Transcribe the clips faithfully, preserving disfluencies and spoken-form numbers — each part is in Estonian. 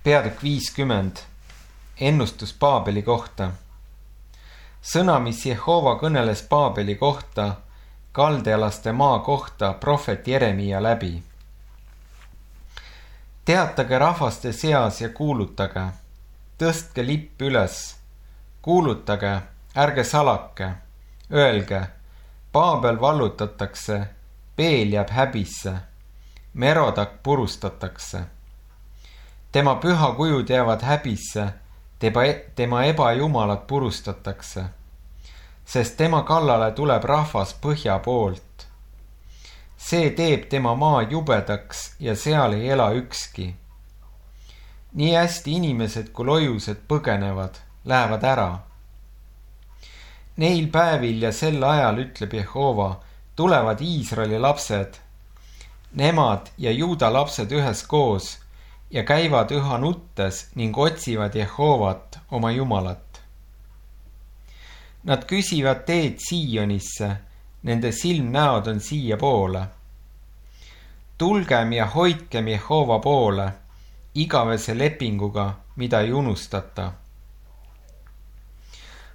Peatükk viiskümmend. Ennustus Paabeli kohta. Sõna, mis Jehova kõneles Paabeli kohta, kaldealaste maa kohta prohvet Jeremia läbi. Teatage rahvaste seas ja kuulutage, tõstke lipp üles, kuulutage, ärge salake, öelge, Paabel vallutatakse, Peel jääb häbisse, Merodak purustatakse. Tema pühakujud jäävad häbisse, tema ebajumalad purustatakse, sest tema kallale tuleb rahvas põhja poolt. See teeb tema maa jubedaks ja seal ei ela ükski. Nii hästi inimesed kui lojused põgenevad, lähevad ära. Neil päevil ja sel ajal, ütleb Jehova, tulevad Iisraeli lapsed, nemad ja Juuda lapsed üheskoos ja käivad üha nuttes ning otsivad Jehovat, oma Jumalat. Nad küsivad teed Siionisse, nende silmnäod on siia poole. Tulgem ja hoidkem Jehova poole, igavese lepinguga, mida ei unustata.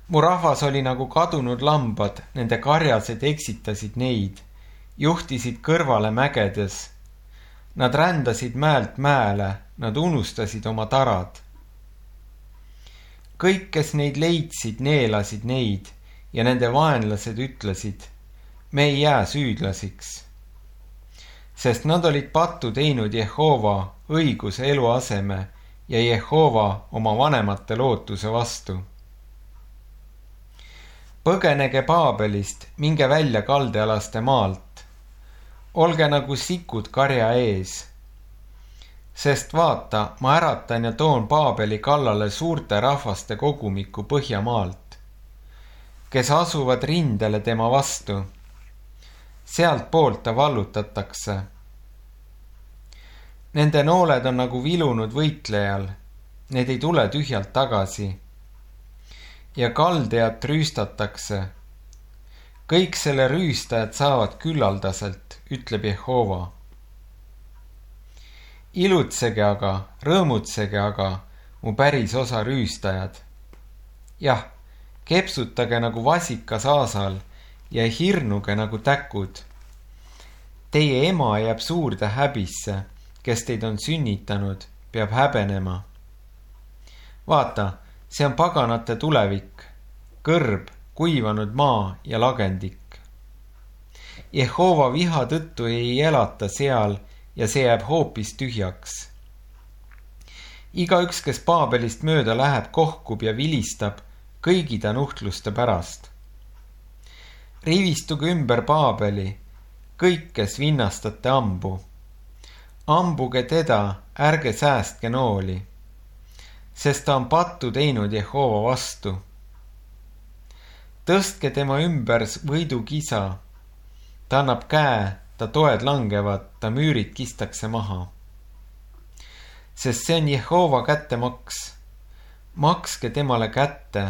Mu rahvas oli nagu kadunud lambad, nende karjased eksitasid neid, juhtisid kõrvale mägedes. Nad rändasid mäelt mäele, nad unustasid oma tarad. Kõik, kes neid leidsid, neelasid neid ja nende vaenlased ütlesid, me ei jää süüdlasiks. Sest nad olid pattu teinud Jehova õiguse eluaseme ja Jehova oma vanemate lootuse vastu. Põgenege Paabelist, minge välja kaldealaste maalt. Olge nagu sikud karja ees. Sest vaata, ma äratan ja toon Paabeli kallale suurte rahvaste kogumiku Põhjamaalt, kes asuvad rindele tema vastu. Sealt poolt ta vallutatakse. Nende nooled on nagu vilunud võitlejal, need ei tule tühjalt tagasi. Ja kaldejat rüüstatakse. Kõik selle rüüstajad saavad küllaldaselt, ütleb Jehova. Ilutsege aga, rõõmutsege aga, mu päris osa rüüstajad. Jah, kepsutage nagu vasikas aasal ja hirnuge nagu täkud. Teie ema jääb suurde häbisse, kes teid on sünnitanud, peab häbenema. Vaata, see on paganate tulevik, kõrb, kuivanud maa ja lagendik. Jehova viha tõttu ei elata seal ja see jääb hoopis tühjaks. Igaüks, kes Paabelist mööda läheb, kohkub ja vilistab kõigi ta nuhtluste pärast. Rivistuge ümber Paabeli, kõik, kes vinnastate ambu. Ambuge teda, ärge säästke nooli, sest ta on pattu teinud Jehova vastu. Tõstke tema ümber võidukisa, ta annab käe, ta toed langevad, ta müürid kistakse maha. Sest see on Jehova kättemaks. Makske temale kätte,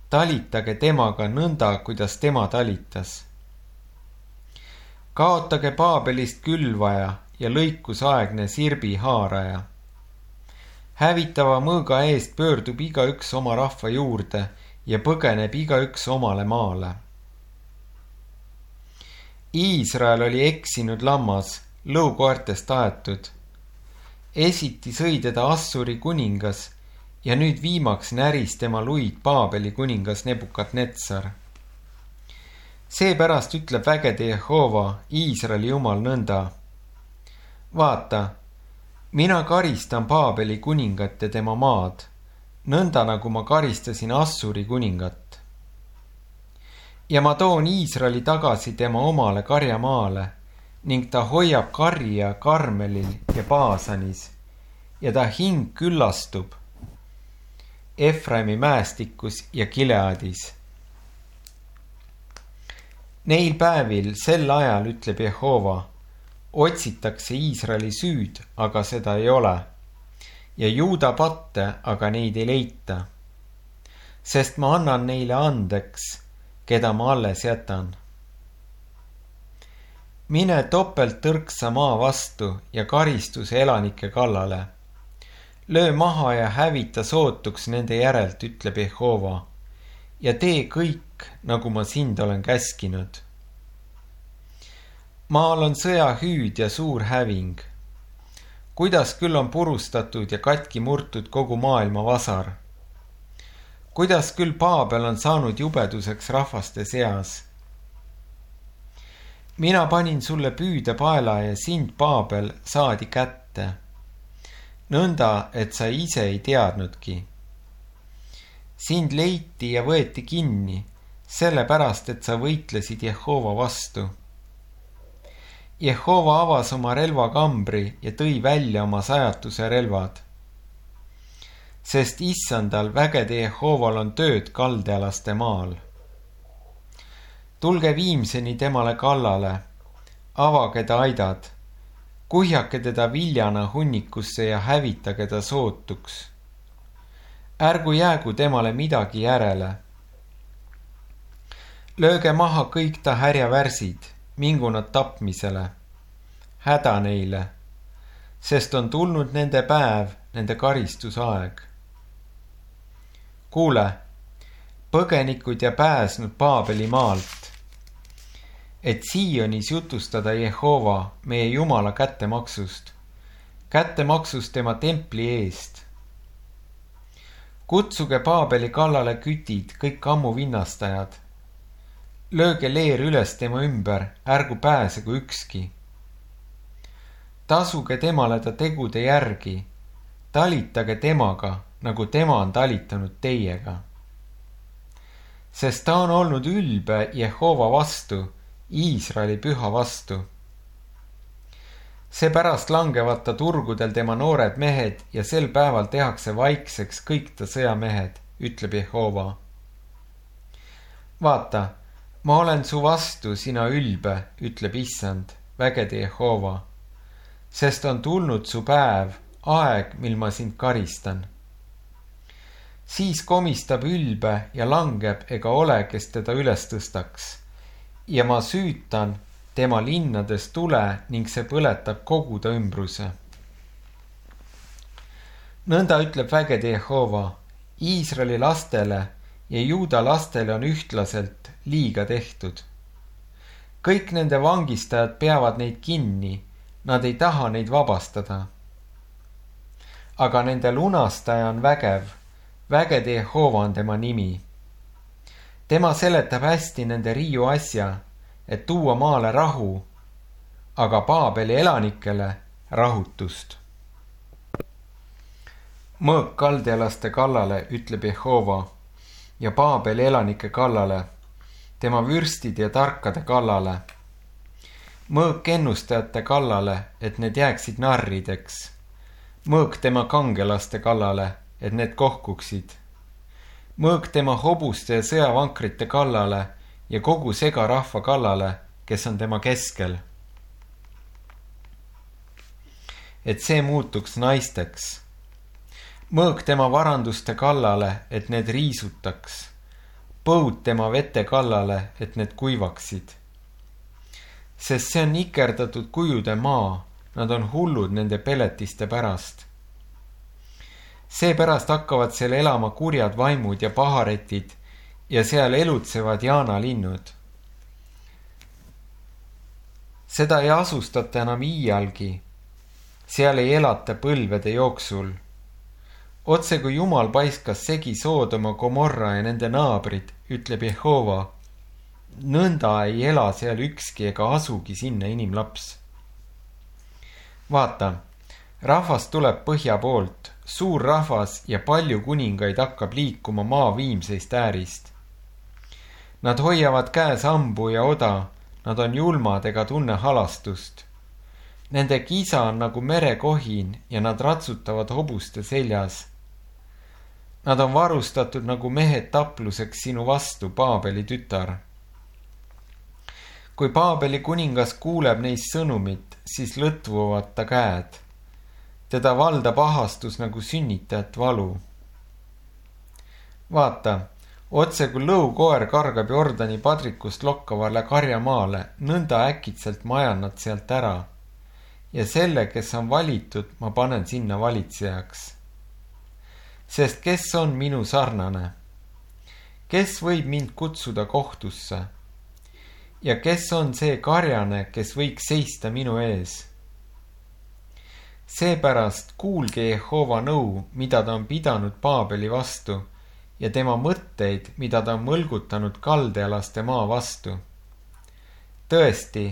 talitage temaga nõnda, kuidas tema talitas. Kaotage Paabelist külvaja ja lõikusaegne sirbi haaraja. Hävitava mõõga eest pöördub igaüks oma rahva juurde ja põgeneb igaüks omale maale. Iisrael oli eksinud lammas, lõukoertest aetud. Esiti sõi teda Assuri kuningas ja nüüd viimaks näris tema luid Paabeli kuningas Nebukadnetsar. Seepärast ütleb vägede Jehova, Iisraeli jumal nõnda. Vaata, mina karistan Paabeli kuningat ja tema maad, nõnda nagu ma karistasin Assuri kuningat. Ja ma toon Iisraeli tagasi tema omale karjamaale ning ta hoiab karja Karmelil ja Baasanis ja ta hing küllastub Efraimi mäestikus ja Gileadis. Neil päevil sel ajal, ütleb Jehova, otsitakse Iisraeli süüd, aga seda ei ole. Ja Juuda patte, aga neid ei leita. Sest ma annan neile andeks, keda ma alles jätan. Mine topelt tõrksa maa vastu ja karistuse elanike kallale. löö maha ja hävita sootuks nende järelt, ütleb Jehova, ja tee kõik, nagu ma sind olen käskinud. Maal on sõjahüüd ja suur häving. Kuidas küll on purustatud ja katki murtud kogu maailma vasar? Kuidas küll Paabel on saanud jubeduseks rahvaste seas? Mina panin sulle püüdepaela ja sind, Paabel, saadi kätte. Nõnda, et sa ise ei teadnudki. Sind leiti ja võeti kinni, sellepärast, et sa võitlesid Jehova vastu. Jehova avas oma relvakambri ja tõi välja oma sajatuse relvad. Sest issandal vägede Jehoval on tööd kaldealaste maal. Tulge viimseni temale kallale, avage ta aidad, kuhjake teda viljana hunnikusse ja hävitage ta sootuks. Ärgu jäägu temale midagi järele. Lööge maha kõik ta härjavärsid, mingu nad tapmisele, häda neile, sest on tulnud nende päev, nende karistusaeg. Kuule, põgenikud ja pääsnud Paabeli maalt, et Sionis jutustada Jehova, meie Jumala kättemaksust, kättemaksust tema templi eest. Kutsuge Paabeli kallale kütid, kõik ammu vinnastajad. Lööge leer üles tema ümber, ärgu pääsegu ükski. Tasuge temale ta tegude järgi, talitage temaga, nagu tema on talitanud teiega. Sest ta on olnud ülbe Jehova vastu, Iisraeli püha vastu. Seepärast langevad ta turgudel tema noored mehed ja sel päeval tehakse vaikseks kõik ta sõjamehed, ütleb Jehova. Vaata, ma olen su vastu, sina ülbe, ütleb issand, vägede Jehova, sest on tulnud su päev, aeg, mil ma sind karistan. Siis komistab ülbe ja langeb ega ole, kes teda üles tõstaks. Ja ma süütan tema linnades tule ning see põletab kogu ta ümbruse. Nõnda ütleb vägede Jehova, Iisraeli lastele ja Juuda lastele on ühtlaselt liiga tehtud. Kõik nende vangistajad peavad neid kinni, nad ei taha neid vabastada. Aga nende lunastaja on vägev, vägede Jehova on tema nimi. Tema seletab hästi nende riiu asja, et tuua maale rahu, aga Paabeli elanikele rahutust. Mõõk kaldealaste kallale, ütleb Jehova, ja Paabeli elanike kallale, tema vürstid ja tarkade kallale. Mõõk ennustajate kallale, et need jääksid narrideks. Mõõk tema kangelaste kallale, et need kohkuksid. Mõõk tema hobuste ja sõjavankrite kallale ja kogu segarahva kallale, kes on tema keskel. Et see muutuks naisteks. Mõõk tema varanduste kallale, et need riisutaks. Põud tema vete kallale, et need kuivaksid. Sest see on nikerdatud kujude maa, nad on hullud nende peletiste pärast. Seepärast hakkavad seal elama kurjad vaimud ja paharetid ja seal elutsevad jaanalinnud. Seda ei asustata enam iialgi, seal ei elata põlvede jooksul. Otse kui Jumal paiskas segi Soodoma, Gomorra ja nende naabrid, ütleb Jehova, nõnda ei ela seal ükski ega asugi sinna inimlaps. Vaata, rahvas tuleb põhja poolt, suur rahvas ja palju kuningaid hakkab liikuma maa viimseist äärist. Nad hoiavad käes ambu ja oda, nad on julmad ega tunne halastust. Nende kisa on nagu merekohin ja nad ratsutavad hobuste seljas. Nad on varustatud nagu mehed tapluseks sinu vastu, Paabeli tütar. Kui Paabeli kuningas kuuleb neist sõnumit, siis lõtvuvad ta käed. Teda valdab ahastus nagu sünnitajat valu. Vaata, otse kui lõukoer kargab Jordani padrikust lokkavale karjamaale, nõnda äkitselt majan nad sealt ära. Ja selle, kes on valitud, ma panen sinna valitsejaks. sest kes on minu sarnane? Kes võib mind kutsuda kohtusse? Ja kes on see karjane, kes võiks seista minu ees? Seepärast kuulge Jehova nõu, mida ta on pidanud Paabeli vastu, ja tema mõtteid, mida ta on mõlgutanud kaldealaste maa vastu. Tõesti,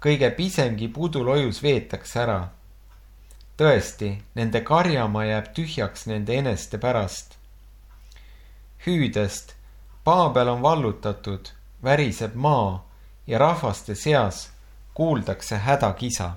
kõige pisemgi pudulojus veetakse ära. Tõesti, nende karjamaa jääb tühjaks nende eneste pärast. Hüüdest, Paabel on vallutatud, väriseb maa ja rahvaste seas kuuldakse hädakisa.